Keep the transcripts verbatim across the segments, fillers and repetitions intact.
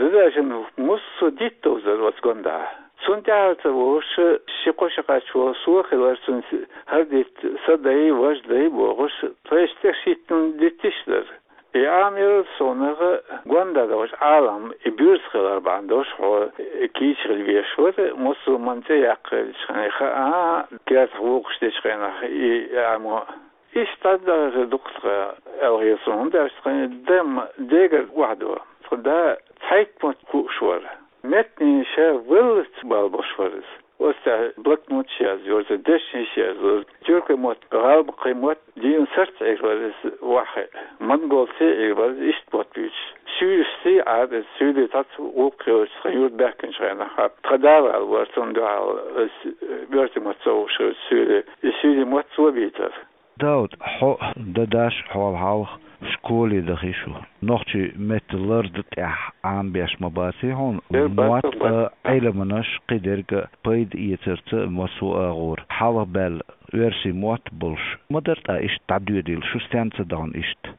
Дадашин муссо диттовзар оцу гондахь. Цунна тӀаьхьа ца вогӀуш, ши-кхо шо кхаьчча, со хилар цуьнца хӀара дитт, сан дай, важа дай бохуш, тхайшна тӀе шийтта диттиш дара. И Ӏамийра суна, гонда долуш Ӏалам, и буьрса хилар бахьана долуш хьо кийча хила везаш вара, муссо манна цӀе яккха хилча хьайна хаьа, кертахь вукхуш дечу хенахь и Ӏамо. Иштта дӀадахар дукха тхан, аьлла хета суна, хӀунда аьлча тхан дам дегара охьадо. Тхан да цхьайтта мотт хууш вара. Меттанийн ша веллац бала болуш вара иза. Оцу тӀехь блокноташ язйора, дешнаш язйора. Тюркойн мотт, гӀалбакхийн мотт дийна сарц Ӏийр вара иза ваххе. Монголций Ӏийр вара иза иштта мотт буьйцуш. Суьйрашций Ӏара иза, суьйре цхьацца гӀуллакх хилча тхан юрт баьхкинчу хенахь, тхан да ваьлла вара цунна дуьхьал, иза оьрсийн мотт ца хууш хилча суьйре, и суьйрийн мотт цо бийцара. Дауд, хьо а, дадаш а хьол хьалха школе дахи шу. Нохчийн меттан ларда тӀехь Ӏамабеш ма баций хьуна? Дера бац, мотт бац. А, Ӏилманаш кхидерг а пайда эцарца массо а агӀора. Хьалха баьлла оьрсийн мотт болуш ма дара, тӀаккха иштта дӀадоьдийла шу стенна ца дахана иштта?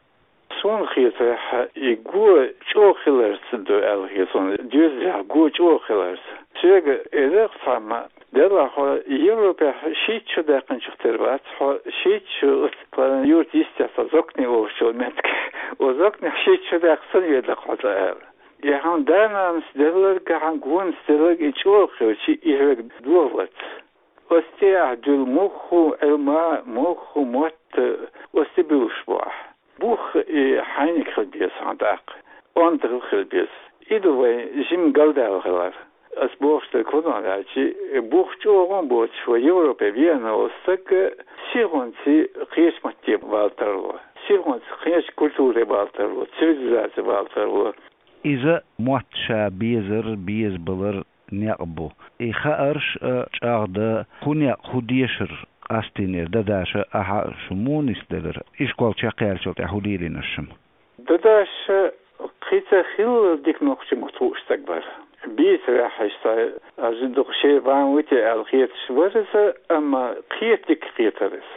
Суна хетарехь, и го чӀогӀа хиларца ду аьлла хета суна, доьзалехь го чӀогӀа хиларца. Соьга элира цхьамма, делахь, Европехь шийтта шо даьккхинчух тера вац хьо, шийтта шо оцу тхан юрт йистехь цхьа Зокни олучу меттиг. Оцу Зокнехь шийтта шо даьккхина санна ведар хьо цкъа аьлла. И хьан да-нанас делларг а, хьан гонас делларг а и чӀогӀа хилча, и хьоьга догӀа вац. Оцу тӀехь дуьллу муьлхха а Ӏилма, муьлхха а мотт оцу тӀе буьллуш бу ахь. Бух и хьайниг хила беза хьан тӀаккха, онда хила беза. И ду вайн жима галдаьлла хилар. Ас бохуш дерг хӀун ду аьлча, бух чӀогӀа а боцуш вай Европе веана волу стаг сихонца кхечу матте бала тарло, сихонца кхечу культуре бала тарло, цивилизаци бала тарло. Иза мотт ша безар, безабалар некъ бу. И хаарш а чӀагӀдан, хӀун некъ, хӀун дешар къастийнера дадаша, ахьа а шу муха нисделира? Ишкол чекхъяьллачул тӀаьхьа хӀун лелийнера шуна? Дадаш кхин ца хилла дика нохчийн мотт хууш стаг вара. Бийцарехь иштта, аса дукха шен бан ву те аьлла хеташ вара иза, амма кхета дика кхетара иза.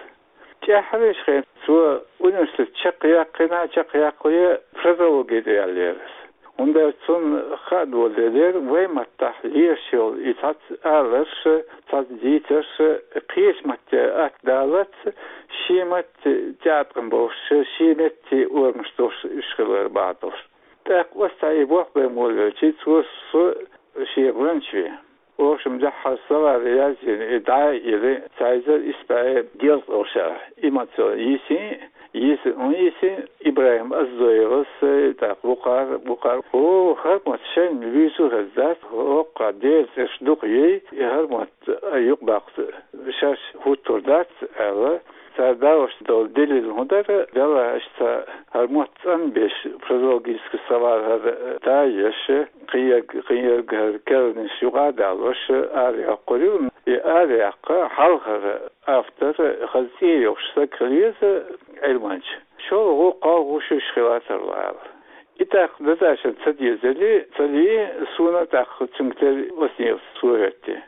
ТӀаьххьарчу хенахь цо университет чекхъяьккхина, чекхъяккхале фразеологи тӀе яьллера иза. ХӀунда аьлча цунна хаа долу делера, вайн маттахь лелаш йолу и цхьацца аларш, цхьацца дийцарш кхечу матте атта далац, шен матте тӀеӀаткъам болуш, шен метте орамаш долуш уьш хилар бахьана долуш. ТӀаккха оцу цхьа и болх бен волавелча, цо со шен гӀоьнча веана. Оха шуна дуьххьара словарь язйина, и дӀа а йина, цхьа эзар исс бӀе ялх долуш а, и мотт цо йисина, йисина, хӀун йисина, ИбрахӀим Оздоевас, тӀаккха вукхара, вукхара. О, хӀара мотт шайна вуьйцур хезна дац, хӀокху Делан цӀераш дукха юй, и хӀара мотт юкъабаккха шаьш хӀуттур дац, аьлла. Цара далош долу делил хӀун дара, делахь иштта хӀара мотт цӀанбеш, фразеологический словарь хӀара тайош, кхин ерг, кхин ерг хӀара керланаш юкъа а далош, арайоккхур ю. И арайаккха хьалхара автор хаза цӀе йолуш стаг хила веза Ӏилманча. ШолгӀа, кхоалгӀа, шуьш хила тарло аьлла. И тӀаккха дадашна ца дезали, ца лии, суна тӀаккха цуьнга тера оцу нефас цо хӀоьттина.